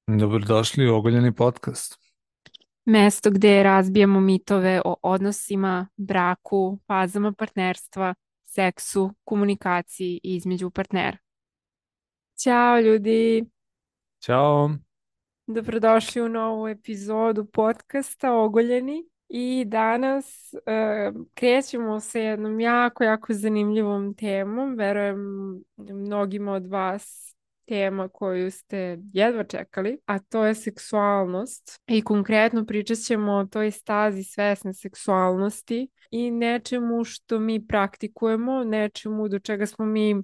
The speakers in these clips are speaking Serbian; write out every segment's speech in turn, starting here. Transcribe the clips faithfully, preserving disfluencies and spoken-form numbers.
Dobrodošli u Ogoljeni podcast. Mesto gde razbijamo mitove o odnosima, braku, fazama partnerstva, seksu, komunikaciji između partnera. Ćao ljudi, Ćao. dobrodošli u novu epizodu podcasta Ogoljeni. I danas e, krećemo sa jednom jako, jako zanimljivom temom. Verujem mnogima od vas tema koju ste jedva čekali, a to je seksualnost. I konkretno pričat ćemo o toj stazi svesne seksualnosti i nečemu što mi praktikujemo, nečemu do čega smo mi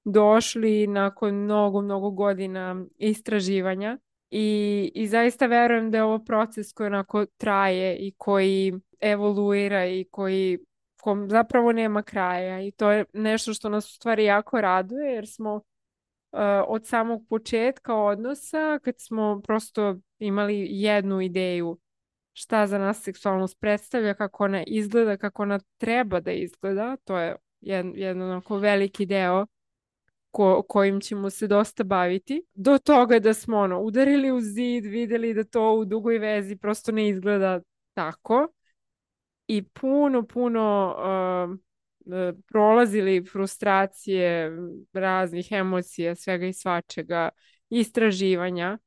došli nakon mnogo, mnogo godina istraživanja. I, I zaista verujem da je ovo proces koji onako traje i koji evoluira i koji kom zapravo nema kraja. I to je nešto što nas u stvari jako raduje jer smo uh, od samog početka odnosa, kad smo prosto imali jednu ideju šta za nas seksualnost predstavlja, kako ona izgleda, kako ona treba da izgleda, to je jedan, jedan onako veliki deo ko, kojim ćemo se dosta baviti, do toga da smo ono, udarili u zid, vidjeli da to u dugoj vezi prosto ne izgleda tako i puno, puno uh, uh, prolazili frustracije raznih emocija, svega i svačega, istraživanja,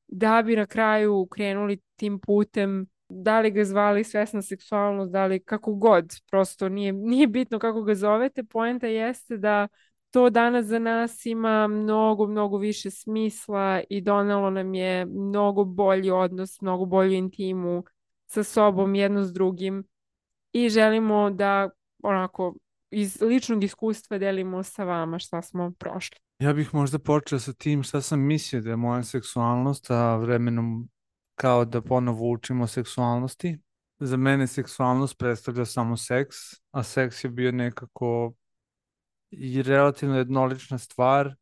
da bi na kraju krenuli tim putem, da li ga zvali svesna seksualnost, da li kako god, prosto nije, nije bitno kako ga zovete, poenta jeste da to danas za nas ima mnogo, mnogo više smisla i donelo nam je mnogo bolji odnos, mnogo bolju intimu sa sobom, jedno s drugim i želimo da onako iz ličnog iskustva delimo sa vama šta smo prošli. Ja bih možda počeo sa tim šta sam mislio da je moja seksualnost, a vremenom kao da ponovo učimo o seksualnosti. Za mene seksualnost predstavlja samo seks, a seks je bio nekako i relativno jednolična stvar.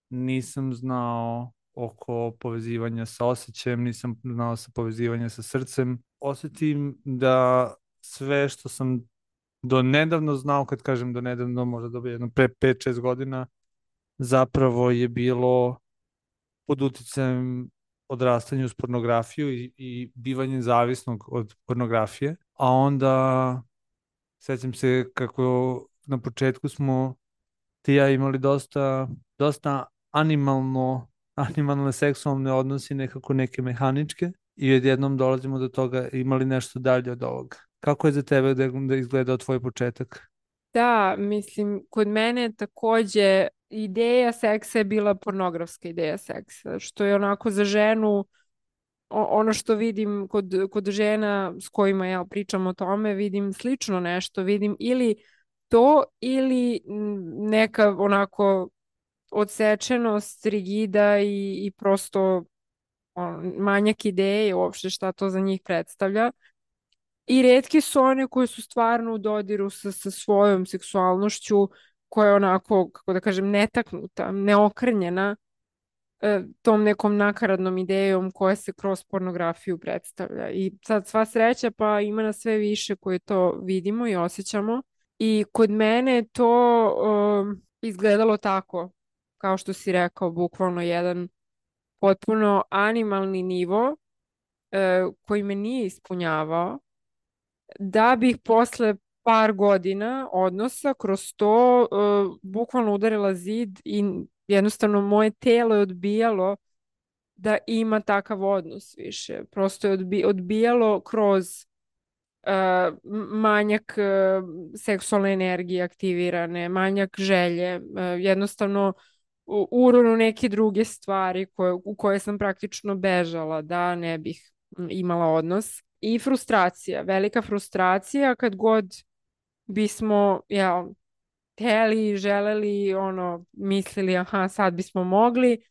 Nisam znao oko povezivanja sa osjećajem, nisam znao sa povezivanja sa srcem. Osjetim da sve što sam do nedavno znao, kad kažem do nedavno, možda do jedno pre pet šest godina, zapravo je bilo pod uticajem odrastanja uz pornografiju i, i bivanje zavisnog od pornografije. A onda sećam se kako na početku smo ti i ja imali dosta, dosta animalno, animalne seksualne odnose, nekako neke mehaničke i odjednom dolazimo do toga imali nešto dalje od ovoga. Kako je za tebe da, da izgledao tvoj početak? Da, mislim, kod mene takođe ideja seksa je bila pornografska ideja seksa, što je onako za ženu, o- ono što vidim kod, kod žena s kojima ja pričam o tome, vidim slično nešto, vidim ili to ili mm, neka onako odsečenost, rigida i, i prosto on, manjak ideje uopšte šta to za njih predstavlja. I retke su one koje su stvarno u dodiru sa, sa svojom seksualnošću, koja je onako, kako da kažem, netaknuta, neokrnjena e, tom nekom nakaradnom idejom koja se kroz pornografiju predstavlja. I sad sva sreća pa ima nas sve više koje to vidimo i osjećamo. I kod mene je to um, izgledalo tako, kao što si rekao, bukvalno jedan potpuno animalni nivo e, koji me nije ispunjavao da bih posle par godina odnosa kroz to uh, bukvalno udarila zid i jednostavno moje telo je odbijalo da ima takav odnos više. Prosto je odbi odbijalo kroz uh, manjak uh, seksualne energije aktivirane, manjak želje, uh, jednostavno u- uronu neke druge stvari koje, u koje sam praktično bežala da ne bih mm, imala odnos. I frustracija, velika frustracija kad god bismo, ja, hteli, želeli, ono, mislili, aha, sad bismo mogli.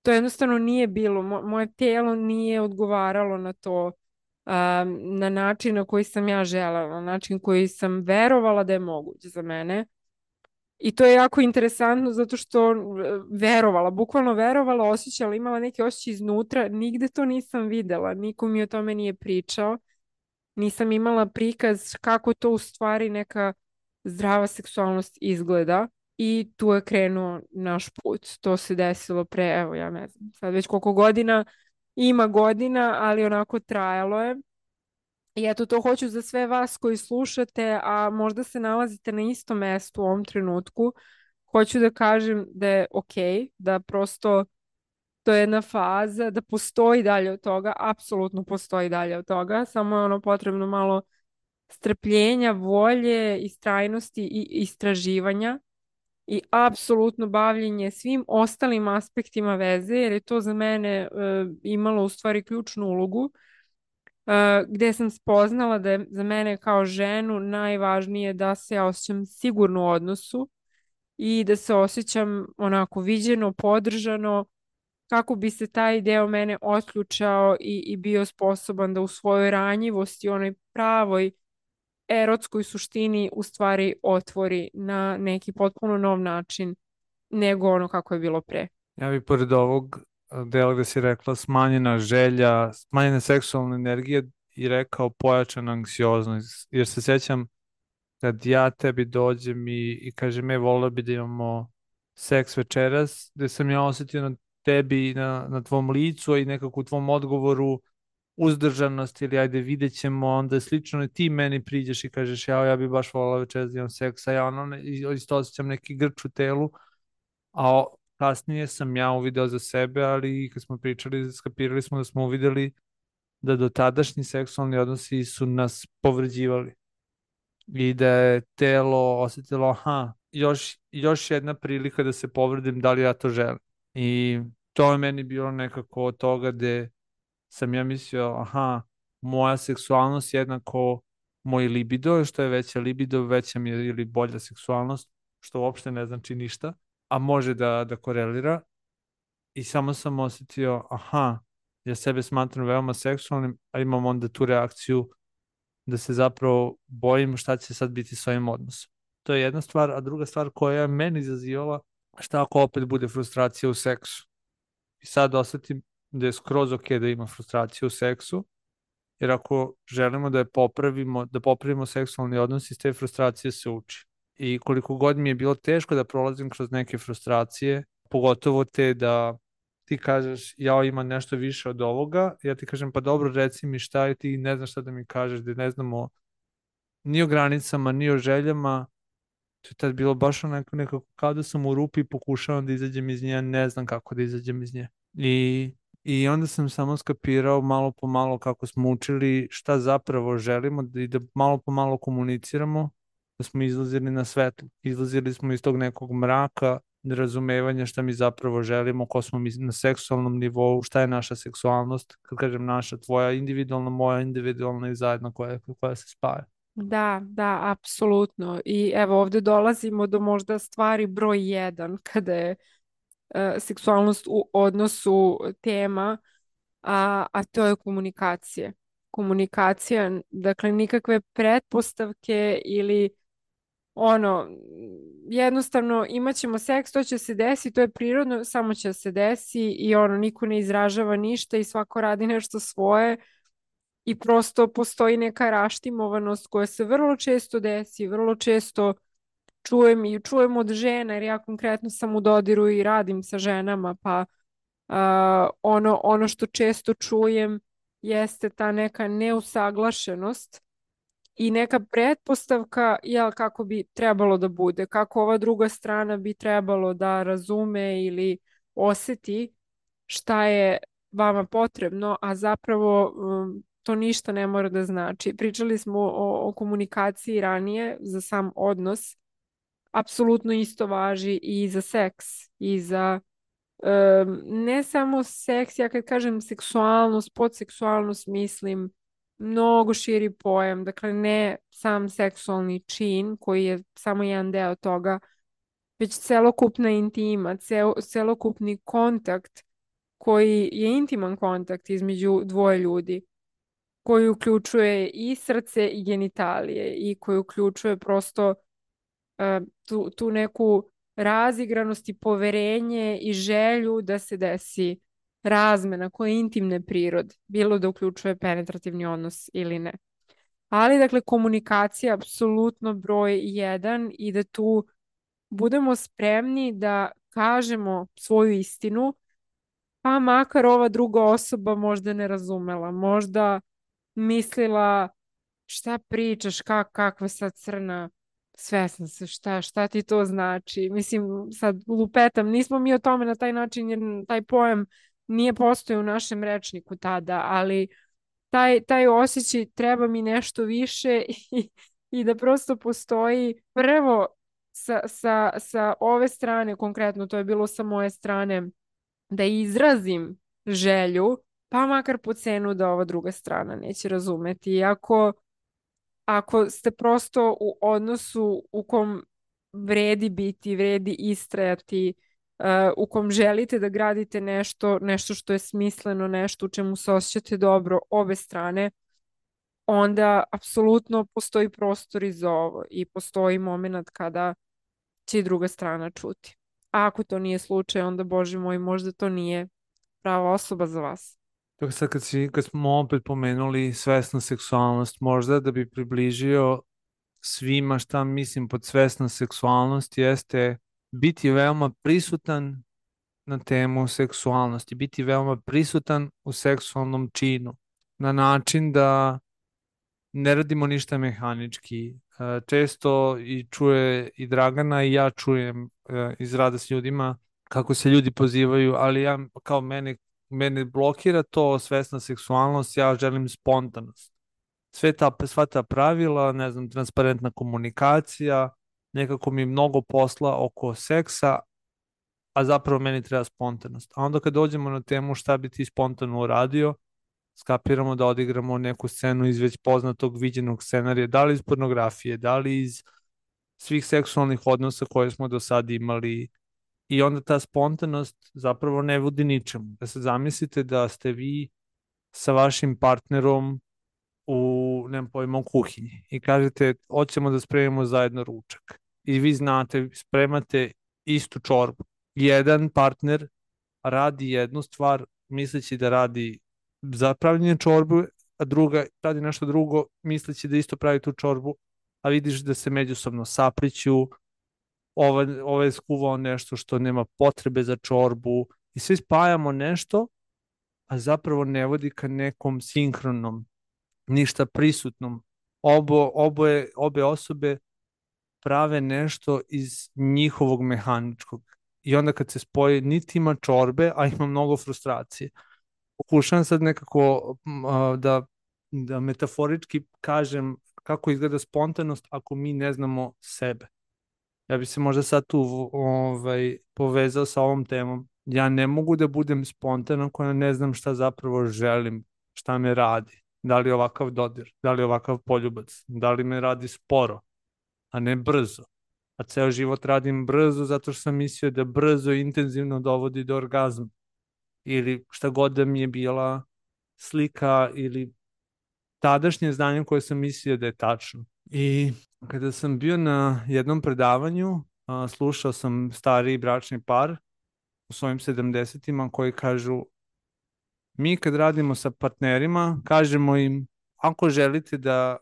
To jednostavno nije bilo. Mo moje telo nije odgovaralo na to um, na način na koji sam ja želela, na način koji sam verovala da je moguć za mene. I to je jako interesantno zato što e, verovala, bukvalno verovala, osjećala, imala neke osjećaje iznutra, nigde to nisam videla, niko mi o tome nije pričao, nisam imala prikaz kako to u stvari neka zdrava seksualnost izgleda. i tu je krenuo naš put. To se desilo pre, evo ja ne znam, sad već koliko godina, ima godina, ali onako trajalo je. I eto, to hoću za sve vas koji slušate, a možda se nalazite na istom mestu u ovom trenutku. Hoću da kažem da je okej, da prosto to je jedna faza, da postoji dalje od toga, apsolutno postoji dalje od toga, samo je ono potrebno malo strpljenja, volje, istrajnosti i istraživanja i apsolutno bavljenje svim ostalim aspektima veze, jer je to za mene e, imalo u stvari ključnu ulogu, e, gde sam spoznala da je za mene kao ženu najvažnije da se ja osjećam sigurno u odnosu i da se osjećam onako viđeno, podržano, kako bi se taj deo mene otključao i, i bio sposoban da u svojoj ranjivosti, onoj pravoj erotskoj suštini u stvari otvori na neki potpuno nov način nego ono kako je bilo pre. Ja bih pored ovog dela gde si rekla smanjena želja, smanjena seksualna energija i rekao pojačana anksioznost, jer se sećam kad ja tebi dođem i, i kažem, e, volio bi da imamo seks večeras, gde sam ja osetio na tebi, na, na tvom licu i nekako u tvom odgovoru uzdržanost ili ajde vidjet ćemo, onda slično i ti meni priđeš i kažeš, ja, ja bi baš volio večeras da imam seks, a ja ono, ne, isto osjećam neki grč u telu, a o- kasnije sam ja uvideo za sebe, ali kad smo pričali, skapirali smo da smo uvideli da dotadašnji seksualni odnosi su nas povređivali i da je telo osetilo, aha, još, još jedna prilika da se povredim, da li ja to želim. I to je meni bilo nekako od toga gde sam ja mislio, aha, moja seksualnost jednako moj libido, što je veća libido, veća mi je ili bolja seksualnost, što uopšte ne znači ništa, a može da, da korelira. I samo sam osetio, aha, ja sebe smatram veoma seksualnim, a imam onda tu reakciju da se zapravo bojim šta će sad biti s ovim odnosom. To je jedna stvar, a druga stvar koja je meni izazivala, šta ako opet bude frustracija u seksu. I sad osetim da je skroz ok da ima frustracija u seksu, jer ako želimo da je popravimo, da popravimo seksualni odnos, iz te frustracije se uči. I koliko god mi je bilo teško da prolazim kroz neke frustracije, pogotovo te da ti kažeš ja imam nešto više od ovoga, ja ti kažem pa dobro reci mi šta je, ti ne znaš šta da mi kažeš, da ne znamo ni o granicama, ni o željama. To je tad bilo baš onako nekako kao da sam u rupi i pokušavam da izađem iz nje, a ne znam kako da izađem iz nje. I, I onda sam samo skapirao malo po malo kako smo učili šta zapravo želimo da, i da malo po malo komuniciramo, da smo izlazili na svetlo. Izlazili smo iz tog nekog mraka, nerazumevanja šta mi zapravo želimo, ko smo mi na seksualnom nivou, šta je naša seksualnost, kad kažem naša, tvoja individualna, moja individualna i zajedno koja, koja se spaja. Da, da, apsolutno. I evo ovdje dolazimo do možda stvari broj jedan kada je e, seksualnost u odnosu tema, a, a to je komunikacija. Komunikacija, dakle nikakve pretpostavke ili ono, jednostavno imat ćemo seks, to će se desiti, to je prirodno, samo će se desi i ono, niko ne izražava ništa i svako radi nešto svoje i prosto postoji neka raštimovanost koja se vrlo često desi, vrlo često čujem i čujem od žena, jer ja konkretno sam u dodiru i radim sa ženama, pa uh, ono, ono što često čujem jeste ta neka neusaglašenost i neka pretpostavka jel, kako bi trebalo da bude, kako ova druga strana bi trebalo da razume ili oseti šta je vama potrebno, a zapravo um, to ništa ne mora da znači. Pričali smo o, o komunikaciji ranije za sam odnos. Apsolutno isto važi i za seks i za um, ne samo seks, ja kad kažem seksualnost, podseksualnost mislim mnogo širi pojam, dakle ne sam seksualni čin koji je samo jedan deo toga, već celokupna intima, cel, celokupni kontakt koji je intiman kontakt između dvoje ljudi, koji uključuje i srce i genitalije i koji uključuje prosto uh, tu, tu neku razigranost i poverenje i želju da se desi razmena koja je intimne prirode, bilo da uključuje penetrativni odnos ili ne. Ali, dakle, komunikacija je apsolutno broj jedan i da tu budemo spremni da kažemo svoju istinu, pa makar ova druga osoba možda ne razumela, možda mislila šta pričaš, kak, kakva sad crna, svesna se, šta, šta ti to znači? Mislim, sad lupetam, nismo mi o tome na taj način, jer taj pojam nije postojao u našem rečniku tada, ali taj, taj osjećaj treba mi nešto više i, i da prosto postoji prvo sa, sa, sa ove strane, konkretno to je bilo sa moje strane, da izrazim želju, pa makar po cenu da ova druga strana neće razumeti. I ako, ako ste prosto u odnosu u kom vredi biti, vredi istrajati, uh, u kom želite da gradite nešto, nešto što je smisleno, nešto u čemu se osjećate dobro obe strane, onda apsolutno postoji prostor i za ovo i postoji moment kada će i druga strana čuti. A ako to nije slučaj, onda, Bože moj, možda to nije prava osoba za vas. Tako sad kad, si, kad smo opet pomenuli svesna seksualnost, možda da bi približio svima šta mislim pod svesna seksualnost jeste biti veoma prisutan na temu seksualnosti, biti veoma prisutan u seksualnom činu, na način da ne radimo ništa mehanički. E, Često i čuje i Dragana i ja čujem e, iz rada s ljudima kako se ljudi pozivaju, ali ja kao mene, mene blokira to svesna seksualnost, ja želim spontanost. Sve ta, sva ta pravila, ne znam, transparentna komunikacija, nekako mi je mnogo posla oko seksa, a zapravo meni treba spontanost. A onda kad dođemo na temu šta bi ti spontano uradio, skapiramo da odigramo neku scenu iz već poznatog viđenog scenarija, da li iz pornografije, da li iz svih seksualnih odnosa koje smo do sada imali, i onda ta spontanost zapravo ne vodi ničemu. Da se zamislite da ste vi sa vašim partnerom u, nemam pojma, u kuhinji i kažete, hoćemo da spremimo zajedno ručak. I vi znate, spremate istu čorbu. Jedan partner radi jednu stvar misleći da radi za pravljenje čorbu, a druga radi nešto drugo misleći da isto pravi tu čorbu, a vidiš da se međusobno sapliću, ovaj, ovaj je skuvao nešto što nema potrebe za čorbu i svi spajamo nešto, a zapravo ne vodi ka nekom sinhronom, ništa prisutnom. Obo, oboje, obe osobe prave nešto iz njihovog mehaničkog. I onda kad se spoji, niti ima čorbe, a ima mnogo frustracije. Pokušavam sad nekako da, da metaforički kažem kako izgleda spontanost ako mi ne znamo sebe. Ja bi se možda sad tu ovaj, povezao sa ovom temom. Ja ne mogu da budem spontan ako ne znam šta zapravo želim, šta me radi. Da li je ovakav dodir, da li je ovakav poljubac, da li me radi sporo, a ne brzo. A ceo život radim brzo zato što sam mislio da brzo i intenzivno dovodi do orgazma. Ili šta god da mi je bila slika ili tadašnje znanje koje sam mislio da je tačno. I kada sam bio na jednom predavanju, a, slušao sam stariji bračni par u svojim sedamdesetima koji kažu, mi kad radimo sa partnerima, kažemo im, ako želite da,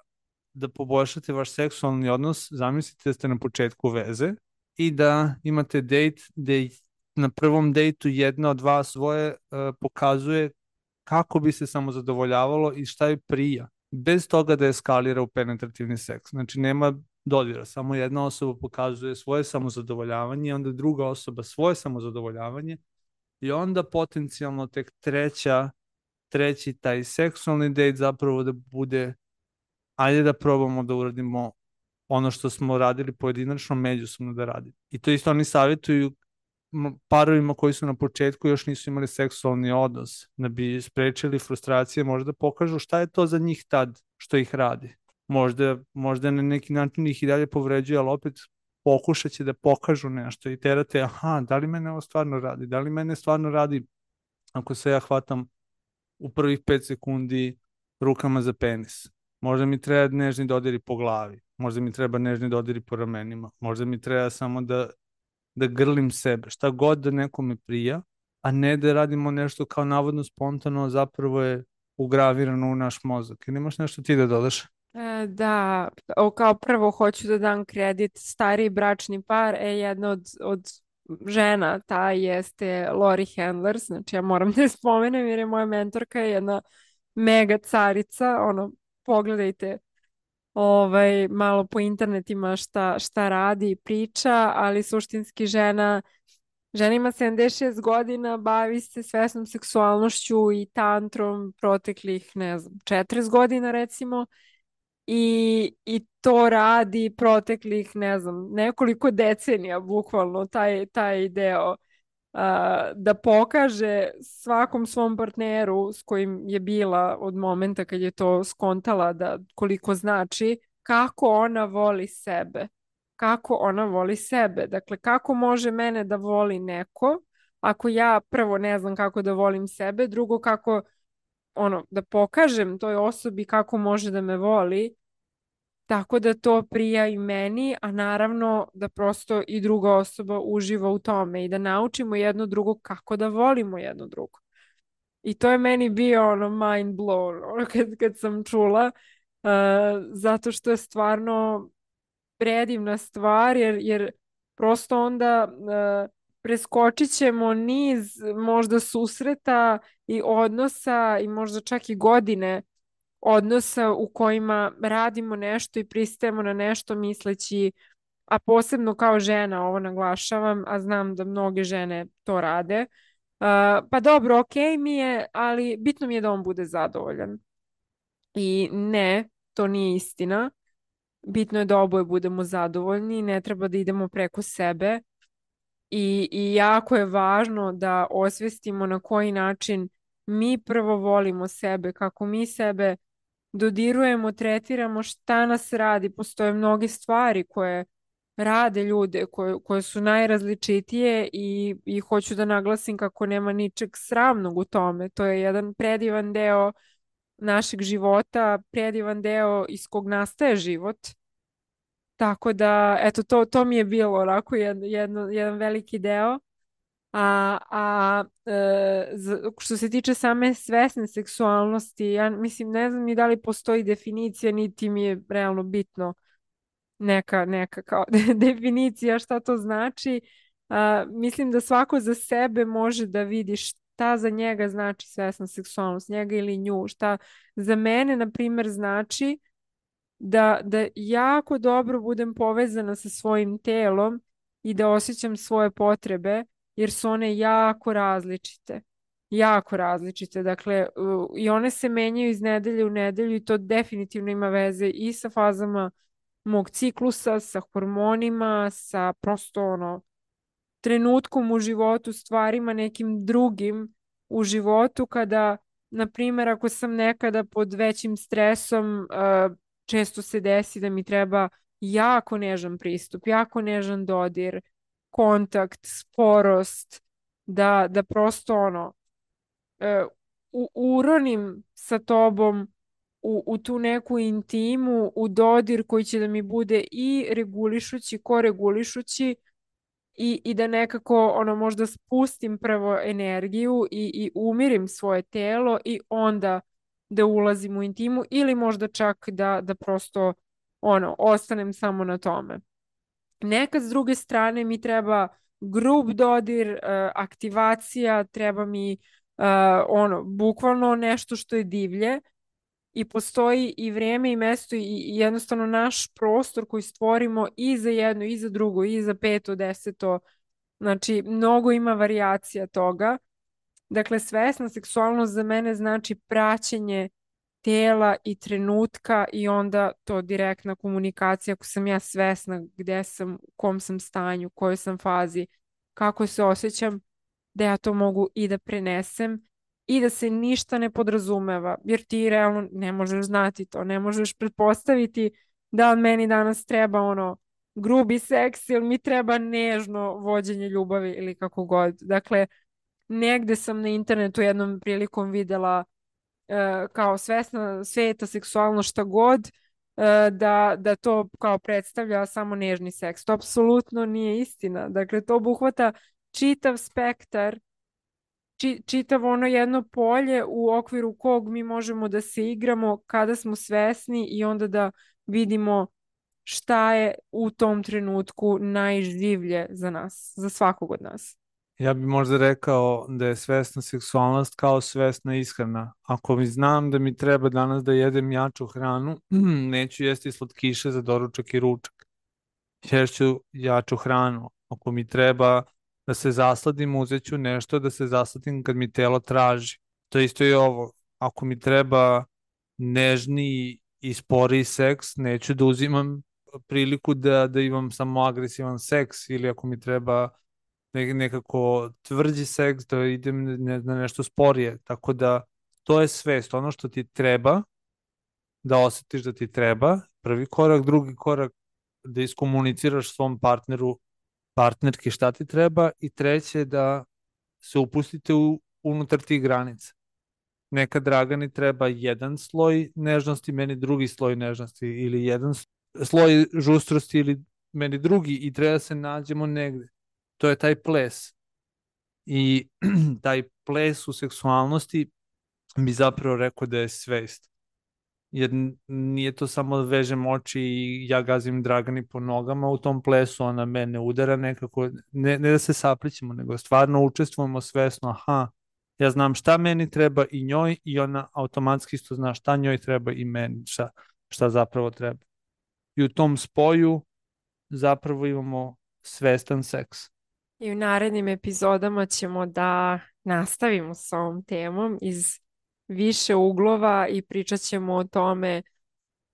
da poboljšate vaš seksualni odnos, zamislite da ste na početku veze i da imate dejt gde na prvom dejtu jedna od vas svoje uh, pokazuje kako bi se samo zadovoljavalo i šta je prija, bez toga da eskalira u penetrativni seks. Znači nema dodira, samo jedna osoba pokazuje svoje samozadovoljavanje, onda druga osoba svoje samozadovoljavanje i onda potencijalno tek treća, treći taj seksualni dejt zapravo da bude, ajde da probamo da uradimo ono što smo radili pojedinačno, međusobno da radimo. I to isto oni savjetuju parovima koji su na početku još nisu imali seksualni odnos, da bi sprečili frustracije, možda pokažu šta je to za njih tad što ih radi. Možda, možda na neki način ih i dalje povređuje, ali opet pokušat će da pokažu nešto i terate, aha, da li mene ovo stvarno radi, da li mene stvarno radi ako se ja hvatam u prvih pet sekundi rukama za penis. Možda mi treba nežni dodiri po glavi, možda mi treba nežni dodiri po ramenima, možda mi treba samo da da grlim sebe, šta god da nekome prija, a ne da radimo nešto kao navodno spontano, zapravo je ugravirano u naš mozak. Ili imaš nešto ti da dodaš? E, da, o, kao prvo hoću da dam kredit stariji bračni par, e, jedna od, od žena, ta jeste Lori Handlers, znači ja moram da je spomenem jer je moja mentorka je jedna mega carica, ono, pogledajte ovaj, malo po internetima šta, šta radi i priča, ali suštinski žena, žena ima sedamdeset šest godina, bavi se svesnom seksualnošću i tantrom proteklih, ne znam, četrdeset godina recimo, i, i to radi proteklih, ne znam, nekoliko decenija, bukvalno, taj, taj deo a, da pokaže svakom svom partneru s kojim je bila od momenta kad je to skontala da koliko znači, kako ona voli sebe. Kako ona voli sebe. Dakle, kako može mene da voli neko ako ja prvo ne znam kako da volim sebe, drugo kako ono, da pokažem toj osobi kako može da me voli, tako da to prija i meni, a naravno da prosto i druga osoba uživa u tome i da naučimo jedno drugo kako da volimo jedno drugo. I to je meni bio ono mind blown ono, kad, kad sam čula, uh, zato što je stvarno predivna stvar, jer, jer prosto onda uh, preskočit ćemo niz možda susreta i odnosa i možda čak i godine odnosa u kojima radimo nešto i pristajemo na nešto misleći, a posebno kao žena ovo naglašavam, a znam da mnoge žene to rade. Uh, pa dobro, okej mi je, ali bitno mi je da on bude zadovoljan. I ne, to nije istina. Bitno je da oboje budemo zadovoljni, ne treba da idemo preko sebe. I, I jako je važno da osvestimo na koji način mi prvo volimo sebe, kako mi sebe dodirujemo, tretiramo, šta nas radi. Postoje mnoge stvari koje rade ljude, koje, koje su najrazličitije i, i hoću da naglasim kako nema ničeg sramnog u tome. To je jedan predivan deo našeg života, predivan deo iz kog nastaje život. Tako da, eto, to, to mi je bilo onako jedno, jedno, jedan veliki deo. A, a e, z- što se tiče same svesne seksualnosti, ja mislim, ne znam ni da li postoji definicija, niti mi je realno bitno neka, neka kao definicija šta to znači. A, mislim da svako za sebe može da vidi šta za njega znači svesna seksualnost, njega ili nju. Šta za mene, na primjer, znači da, da jako dobro budem povezana sa svojim telom i da osjećam svoje potrebe, jer su one jako različite. Jako različite. Dakle, u- i one se menjaju iz nedelje u nedelju i to definitivno ima veze i sa fazama mog ciklusa, sa hormonima, sa prosto ono, trenutkom u životu, stvarima nekim drugim u životu kada, na primjer, ako sam nekada pod većim stresom, uh, često se desi da mi treba jako nežan pristup, jako nežan dodir, kontakt, sporost, da, da prosto ono, uh, u, uronim sa tobom u, u tu neku intimu, u dodir koji će da mi bude i regulišući, koregulišući, i, i da nekako ono možda spustim prvo energiju i, i umirim svoje telo i onda da ulazim u intimu ili možda čak da, da prosto ono ostanem samo na tome. Nekad s druge strane mi treba grub dodir, uh, aktivacija, treba mi uh, ono bukvalno nešto što je divlje i postoji i vrijeme i mesto i, i jednostavno naš prostor koji stvorimo i za jedno i za drugo i za peto, deseto. Znači, mnogo ima varijacija toga. Dakle, svesna seksualnost za mene znači praćenje tela i trenutka i onda to direktna komunikacija. Ako sam ja svesna gdje sam, u kom sam stanju, u kojoj sam fazi, kako se osjećam, da ja to mogu i da prenesem i da se ništa ne podrazumeva, jer ti realno ne možeš znati to, ne možeš pretpostaviti da li meni danas treba ono grubi seks ili mi treba nežno vođenje ljubavi ili kako god. Dakle, negde sam na internetu jednom prilikom videla e, kao svesna sveta, seksualno šta god, e, da, da to kao predstavlja samo nežni seks. To apsolutno nije istina. Dakle, to obuhvata čitav spektar či, čitavo ono jedno polje u okviru kog mi možemo da se igramo kada smo svesni i onda da vidimo šta je u tom trenutku najživlje za nas, za svakog od nas. Ja bih možda rekao da je svesna seksualnost kao svesna ishrana. Ako mi znam da mi treba danas da jedem jaču hranu, neću jesti slatkiše za doručak i ručak. Ješću jaču hranu. Ako mi treba da se zasladim, uzet ću nešto da se zasladim kad mi telo traži. To isto je ovo. Ako mi treba nežniji i sporiji seks, neću da uzimam priliku da, da imam samo agresivan seks, ili ako mi treba ne- nekako tvrđi seks, da idem ne- na nešto sporije. Tako da to je svest. Ono što ti treba, da osetiš da ti treba, prvi korak, drugi korak, da iskomuniciraš svom partneru, partnerki šta ti treba, i treće da se upustite u, unutar tih granica. Nekad Dragani treba jedan sloj nežnosti, meni drugi sloj nežnosti, ili jedan s- sloj žustrosti, ili meni drugi, i treba da se nađemo negde. To je taj ples. I taj ples u seksualnosti bi zapravo rekao da je svest. Jer n- nije to samo da vežem oči i ja gazim Dragani po nogama u tom plesu, ona mene udara nekako, ne, ne da se saplićemo, nego stvarno učestvujemo svesno, aha, ja znam šta meni treba i njoj, i ona automatski isto zna šta njoj treba i meni, šta, šta zapravo treba. I u tom spoju zapravo imamo svestan seks. I u narednim epizodama ćemo da nastavimo sa ovom temom iz više uglova i pričat ćemo o tome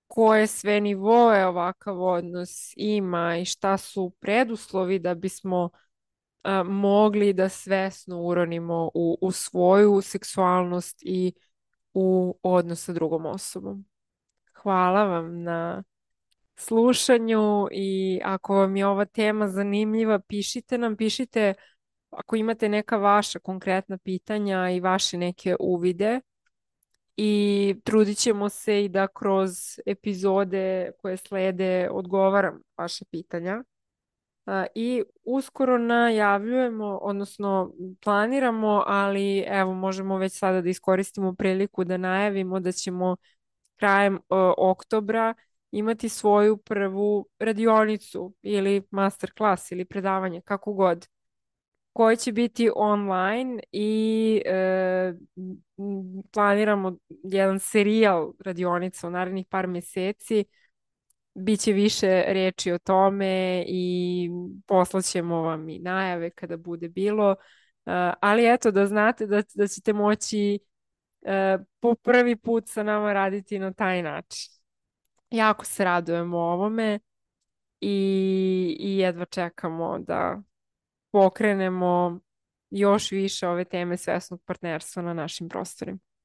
koje sve nivoe ovakav odnos ima i šta su preduslovi da bismo a, mogli da svesno uronimo u, u svoju seksualnost i u odnos sa drugom osobom. Hvala vam na slušanju i ako vam je ova tema zanimljiva, pišite nam, pišite ako imate neka vaša konkretna pitanja i vaše neke uvide i trudit ćemo se i da kroz epizode koje slede odgovaram vaše pitanja. A, I uskoro najavljujemo, odnosno planiramo, ali evo možemo već sada da iskoristimo priliku da najavimo da ćemo krajem o, oktobra imati svoju prvu radionicu ili master class ili predavanje, kako god, koje će biti online i e, m, planiramo jedan serijal radionica u narednih par mjeseci. Biće više reči o tome i poslaćemo vam i najave kada bude bilo. E, ali eto da znate da, da ćete moći e, po prvi put sa nama raditi na taj način. Jako se radujemo ovome i, i jedva čekamo da pokrenemo još više ove teme svesnog partnerstva na našim prostorima.